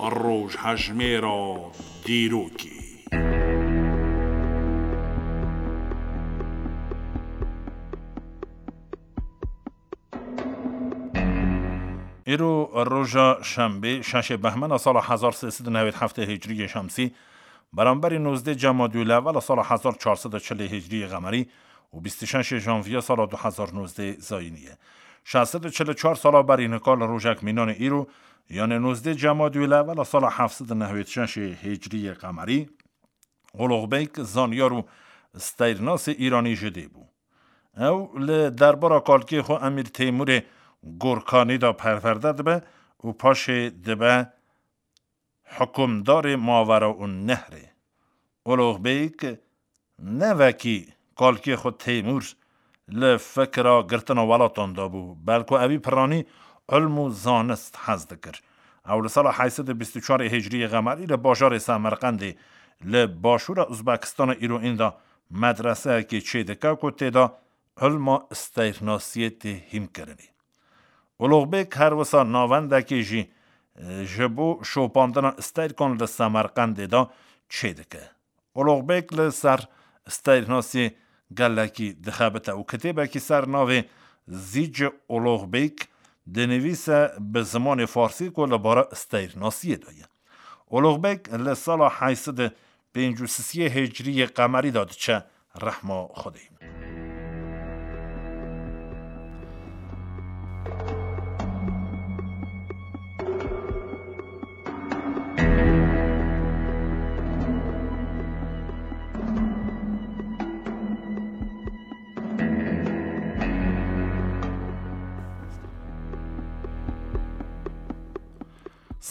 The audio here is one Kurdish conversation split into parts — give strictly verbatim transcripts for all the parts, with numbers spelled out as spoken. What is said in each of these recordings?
Rojhejmêra dîrokê. Îro roja şembê, şeşê behmena sala hezar sê sed û newêd heftê hicriyê şemsî, beramberî nozdê Cemadî Lewela sala hezar çar sed û çilê hicriyê qemerî û bîst û şeşê janviya sala du hezar nozdê zayînî ye. Şeş sed û çil û çar sala berî nika li rojek mînanê îro, yanê nozdê Cemadî Lewela sala heft sed û newêd şeşê hicriyê qemerî, Olox Beyk zanyar û steyrnasê îranî ji dê bû. Ew li derbara kalkê xwe Emîr Têmûrê Gorkanî de perwerde dibe û paşê dibe hukimdarê Mavera û Nehrê. Olox Beyk ne wekî kalkê xwe Têmûr li fikra girtina welatan de bû, belku ewî piranî ilm û zanist hez dikir. Ew li sala heyt sed û bîst û çar hicriyê qemerî li bajarê Semerqendê li başûra Uzbekistanê îro ênda medreseyekê çêdike ku tê de ilma steyrnasiyê tê hînkirinê. Olox Bêk her wisa navendekê jî, e, ji bo şopandina steyrkan li Semerqendê de çêdike. Olox Bêk li ser steyrnasiyê gelekî dixebite û kitêbekî ser navê Zîcê Olox Bêk dinivîse bi zimanê farsî ku li bara steyrnasiyê de ye. Olox Bêk li sala heyt sed û pêncî û sisiyê hicriyê qemerî de diçe rehma Xwedê.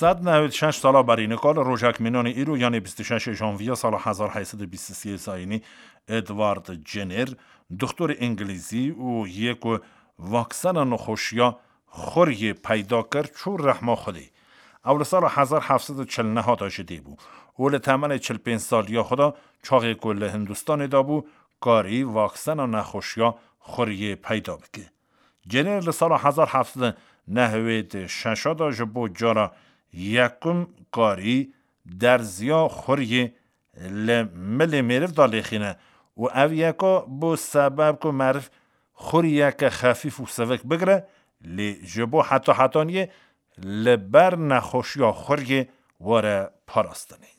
Sed newêd şeş sala berî nika li rojek mînanê îro, yanê bîst û şeşê janviya sala hezar heyt sed û bîst û sê zayînî, Edward Jenner, doktorê îngilîzî û yê ku vaksena nexweşiya xuriyê peyda kir, çû rehma Xwedê. Ew li sala hezar heft sed û çil neh de ji dê bû û li temenê çil pênc saliya xwe de, çaxê ku li Hindistanê de bû, karî vaksena nexweşiya xuriyê peyda bike. Jenner li sala hezar heft sed û newêd û şeş de ji bo cara yekum karî derziya xuriyê li milê mêriv de lêxîne û ev yeka bû sebeb ku meriv xuriyeke xefîf û sivik bigire, lê ji bo heta hetaniyê li ber nexweşiya xuriyê were parastinê.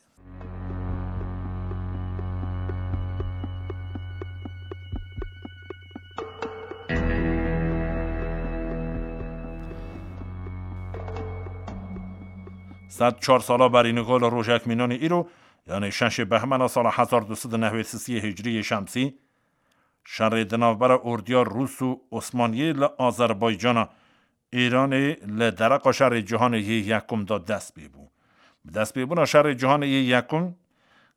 Sed çar sala berî nika li rojek mînanê îro, yanê şeşê behmena sala hezar du sed û newêd sisiyê hicriyê şemsî, şerê di navbera ordiya Rûs û Osmaniyê li Azerbaycana Îranê li dereqa şerê cîhanê yê yekum de dest pê bû. Bi destpêbûna şerê cîhanê yê yekum,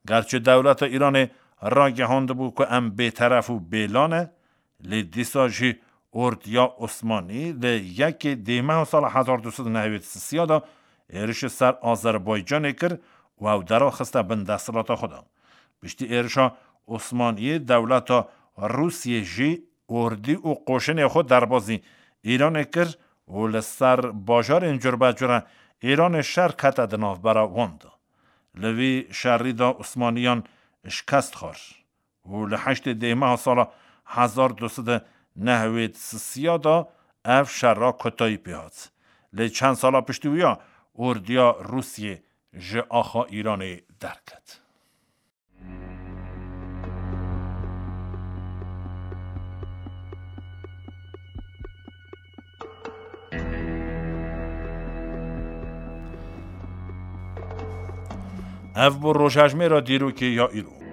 gerçi dewleta Îranê ragihandibû ku em bêteref û bêla ne, lê dîsa jî ordiya Osmanî li yekê dêmeha sala hezar du sed û newêd sisiya de êrişê ser Azerbaycanê kir û ew deraxiste bin desthilata xwe de. Piştî êrişa Osmaniyê dewleta Rûsiyê jî ordî û qoşinê xwe derbazî Îranê kir û li ser bajarên curbecure Îranê şer kete di navbera wan de. Li vî şerî de Osmaniyan şikest xwar û li heştê dêmeha sala hezar du sed û newêd sisiya de ev şera kotayî pê hat. Lê çend sala piştî wî ya ordiya Rûsiyê ji axa Îranê derket. Ev bû rojhejmêra dîrokê ya îro.